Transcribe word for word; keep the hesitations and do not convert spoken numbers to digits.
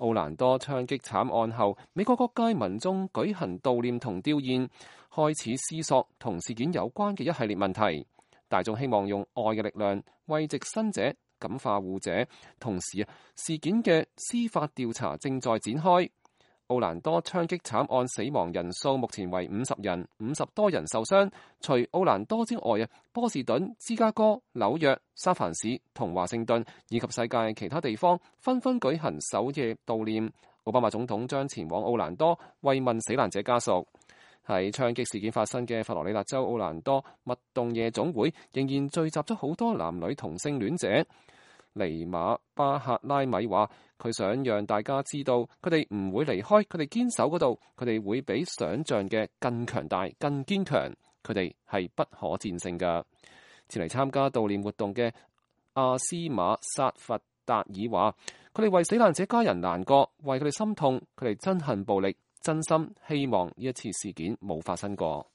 奧蘭多槍擊慘案後，美國各界民眾舉行悼念同弔唁，開始思索同事件有關嘅一系列問題。大眾希望用愛嘅力量慰藉生者、感化護者，同時事件嘅司法調查正在展開。奧蘭多槍擊慘案死亡人數目前為五十人，五十多人受傷。除奧蘭多之外啊，波士頓、芝加哥、紐約、三藩市同華盛頓以及世界其他地方紛紛舉行首夜悼念。奧巴馬總統將前往奧蘭多慰問死難者家屬。喺槍擊事件發生嘅佛羅里達州奧蘭多蜜洞夜總會仍然聚集咗好多男女同性戀者。尼馬巴克拉米話：佢想讓大家知道，佢哋唔會離開，佢哋堅守嗰度，佢哋會比想像嘅更強大、更堅強，佢哋係不可戰勝㗎。前嚟參加悼念活動嘅阿斯馬薩弗達爾話：佢哋為死難者家人難過，為佢哋心痛，佢哋憎恨暴力，真心希望呢一次事件冇發生過。